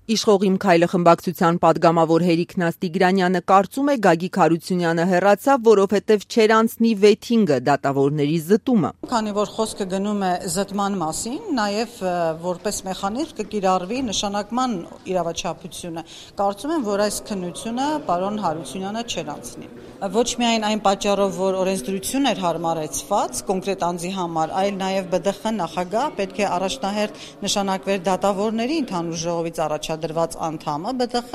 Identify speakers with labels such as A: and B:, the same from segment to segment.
A: Իշխող իմ քայլը խմբակցության падգամավոր Հերիկ Տիգրանյանը կարծում է Գագիկ Հարությունյանը հեռացավ, որովհետև չէր անցնի վեթինգը, դատավորների զտումը։
B: Քանի որ խոսքը գնում է զտման մասին, նաև որպես մեխանիզմ կկիրառվի նշանակման իրավաչափությունը։ Կարծում եմ, որ այս քննությունը պարոն Հարությունյանը չէր անցնի։ Ոչ միայն այն պատճառով, որ օրենսդրություն էր հարմարեցված կոնկրետ անձի համար, այլ նաև ԲԴԽ նախագահ պետք է առաջնահերթ նշանակվեր դատավորների ընդհանուր ժողովից առաջադրված անդամը ԲԴԽ,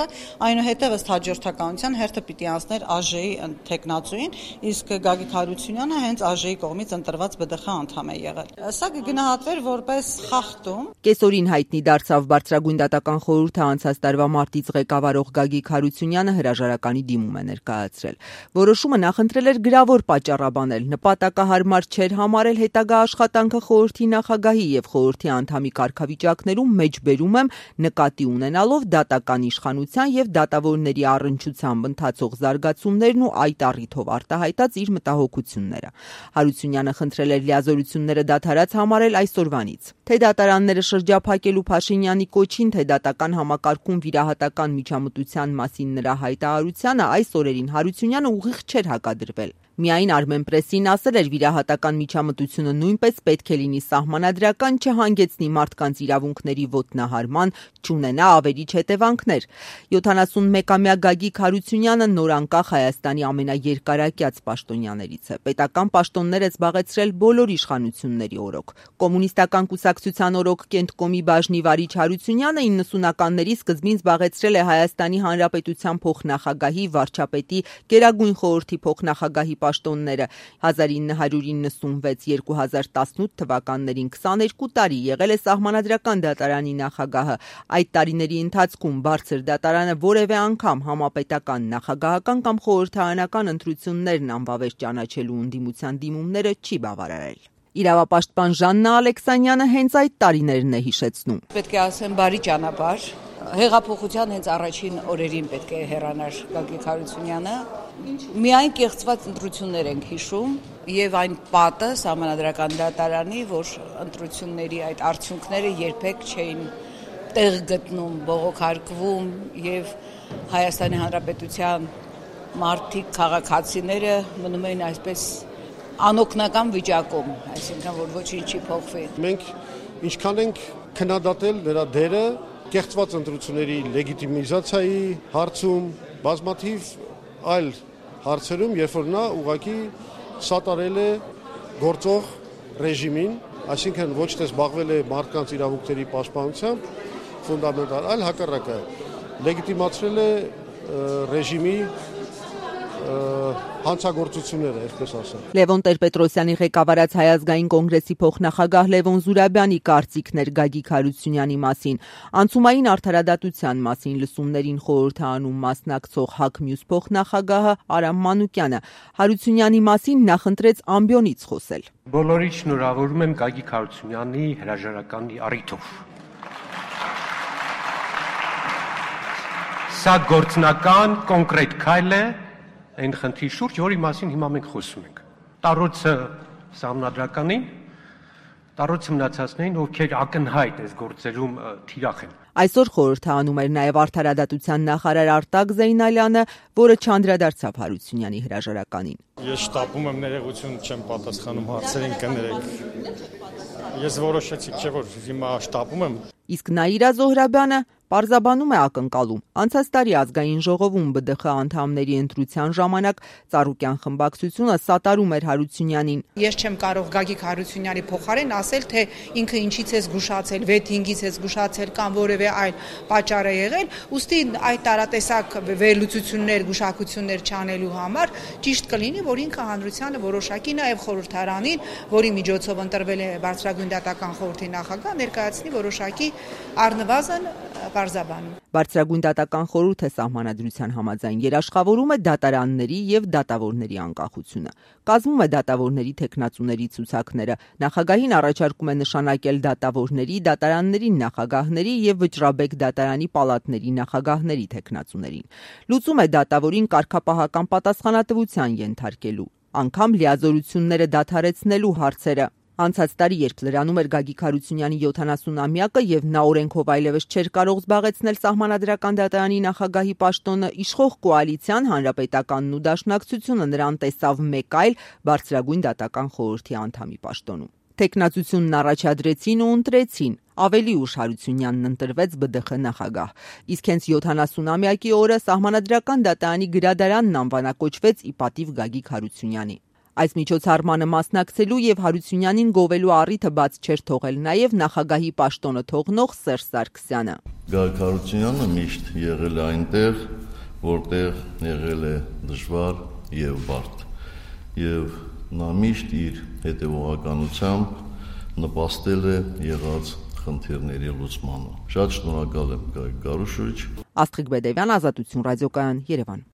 B: այնուհետև ըստ հաջորդականության հերթը պիտի անցներ ԱԺ-ի թեկնածուին, իսկ Գագիկ Հարությունյանը հենց ԱԺ-ի կողմից ընտրված ԲԴԽ անդամ է եղել։ Սա կգնահատվեր որպես խախտում։
A: Կեսօրին հայտնի դարձավ Բարձրագույն դատական խորհուրդը անցած տարվա մարտից ղեկավարող Գագիկ Հարությունյանը հրաժարականի դիմում է ներկայացրել։ Որոշումը նախընտրել էր գրավոր պատճառաբանել, նպատակահարմար չէր համարել հետագա աշխատանքը խորհրդի նախագահի եւ խորհրդի անդամի կարգավիճակներում մեջբերում եմ նկատի ունենալով դատական իշխանության եւ դատավորների առնչությամբ ընթացող զարգացումներն ու այդ առիթով արտահայտած իր մտահոգությունները։ Հարությունյանը խնդրել էր լիազորությունները դադարած համարել այսօրվանից։ Թե դատարանները շրջափակելու Փաշինյանի կոչին, թե դատական համակարգում վիրահատական միջամտության մասին նրա հայտարարությանը այս օրերին Հարությունյանը ուղիղ չէր հակադրվել։ Միայն Armenpress-ին ասել էր վիրահատական միջամտությունը նույնպես պետք է լինի սահմանադրական, չհանգեցնի մարդկանց իրավունքների ոտնահարման, չունենա ավերիչ հետևանքներ։ 71-ամյա Գագիկ Հարությունյանը նորանկախ Հայաստանի ամենաերկարակյաց պաշտոնյաներից է։ Պետական պաշտոններ է զբաղեցրել բոլոր իշխանությունների օրոք։ Կոմունիստական կուսակցության օրոք Կենտկոմի բաժնի վարիչ Հարությունյանը 90-ականների սկզբին զբաղեցրել է Հայաստանի Հանրապետության փոխնախագահի, վարչապետի, Գերագույն խորհրդի փոխնախագահի պաշտոնները 1996-2018 թվականներին 22 տարի եղել է Սահմանադրական դատարանի նախագահը։ Այդ տարիների ընթացքում Բարձր դատարանը որևէ անգամ համապետական, նախագահական կամ խորհրդարանական ընտրություններն անվավեր ճանաչելու ընդդիմության դիմումները չի բավարարել։ Իրավապաշտպան Ժաննա Ալեքսանյանը հենց այդ տարիներն է հիշեցնում։
C: Պետք է ասեմ բարի ճանապարհ։ Հեղափոխության հենց առաջին օրերին պետք է հեռանար Գագիկ Հարությունյանը։ Միայն կեղծված ընտրություններ ենք հիշում եւ այն պատը Սահմանադրական դատարանի, որ ընտրությունների այդ արդյունքները երբեք չէին տեղ գտնում, բողոքարկվում եւ Հայաստանի Հանրապետության մարդիկ, քաղաքացիները մնում էին այսպես անօգնական վիճակում, այսինքն որ ոչինչ չի փոխվի։
D: Մենք ինչքան ենք քննադատել նրա դերը կեղծված ընտրությունների լեգիտիմիզացիայի հարցում, բազմաթիվ այլ հարցերում, երբ որ նա ուղղակի սատարել է գործող ռեժիմին, այսինքն ոչ թե զբաղվել է մարդկանց իրավունքների պաշտպանությամբ, ֆունդամենտալ, այլ հակառակը լեգիտիմացրել է ռեժիմի հանցագործությունները, այսպես ասեմ։
A: Լևոն Տեր-Պետրոսյանի ղեկավարած Հայ ազգային կոնգրեսի փոխնախագահ Լևոն Զուրաբյանի կարծիքներ Գագիկ Հարությունյանի մասին, անցումային արդարադատության մասին լսումներին խորհրդարանում մասնակցող ՀԱԿ մյուս փոխնախագահը Արամ Մանուկյանը Հարությունյանի մասին նախընտրեց ամբիոնից խոսել։
E: Բոլորիդ շնորհավորում եմ Գագիկ Հարությունյանի հրաժարականի առիթով։ Սա գործնական, կոնկրետ քայլ է այն խնդրի շուրջ, որի մասին հիմա մենք խոսում ենք։ Տարոցը Սահմանադրականին, տարոցը մնացածներին, ովքեր ակնհայտ այս գործերում թիրախ են։
A: Այսօր խորհրդարանում էր նաև արդարադատության նախարար Արտակ Զեյնալյանը, որը չանդրադարձավ Հարությունյանի հրաժարականին։
F: Ես շտապում եմ ներողություն չեմ պատասխանում հարցերին կներեք։ Ես որոշեցի, չէ՞ որ հիմա շտապում եմ։
A: Իսկ Նաիրա Զոհրաբյանը պարզաբանում է ակնկալում։ Անցած տարի ազգային ժողովում ԲԴԽ անդամների ընտրության ժամանակ Ծառուկյան խմբակցությունը սատարում էր Հարությունյանին։
G: Ես չեմ կարող Գագիկ Հարությունյանի փոխարեն ասել, թե ինքը ինչից է զգուշացել, վեթինգից է զգուշացել կամ որևէ այլ պատճառ է եղել, ուստի այդ տարատեսակ վերլուծություններ, գուշակություններ չանելու համար ճիշտ կլինի, որ ինքը հանրությանը որոշակի նաև խորհրդարանին, որի միջոցով ընտրվել է Բարձրագույն դատական խորհրդի նախագահ, ներկայացնի որոշակի առնվազն պարզաբանում։
A: Բարձրագույն դատական խորհուրդը սահմանադրության համաձայն երաշխավորում է դատարանների եւ դատավորների անկախությունը։ Կազմում է դատավորների թեկնածուների ցուցակները, նախագահին առաջարկում է նշանակել դատավորների, դատարանների նախագահների եւ Վճռաբեկ դատարանի պալատների նախագահների թեկնածուներին։ Լուծում է դատավորին կարգապահական պատասխանատվության ենթարկելու, անգամ լիազորությունները դադարեցնելու հարցերը։ Անցած տարի, երբ լրանում էր Գագիկ Հարությունյանի 70-ամյակը եւ նա օրենքով այլևս չէր կարող զբաղեցնել Սահմանադրական դատարանի նախագահի պաշտոնը, իշխող կոալիցիան, Հանրապետականն ու Դաշնակցությունը նրան տեսավ մեկ այլ բարձրագույն դատական խորհրդի անդամի պաշտոնում։ Թեկնածությունն առաջադրեցին ու ընտրեցին։ Ավելի ուշ Հարությունյանն ընտրվեց ԲԴԽ նախագահ։ Իսկ հենց 70-ամյակի օրը Սահմանադրական դատարանի գրադարանն անվանակոչվեց ի պատիվ Գագիկ Հարությունյանի։ Այս միջոցառմանը մասնակցելու եւ Հարությունյանին գովելու առիթը բաց չէր թողել նաեւ նախագահի պաշտոնը թողնող Սերժ Սարգսյանը։
H: Գագիկ Հարությունյանը միշտ եղել է այնտեղ, որտեղ եղել է դժվար եւ բարդ։ Եվ նա միշտ իր հետևողականությամբ նպաստել է եղած խնդիրների լուծմանը։ Շատ շնորհակալ եմ Գագիկ Գարուշովիչ։
A: Աստղիկ Բեդևյան, Ազատություն ռադիոկայան, Երևան։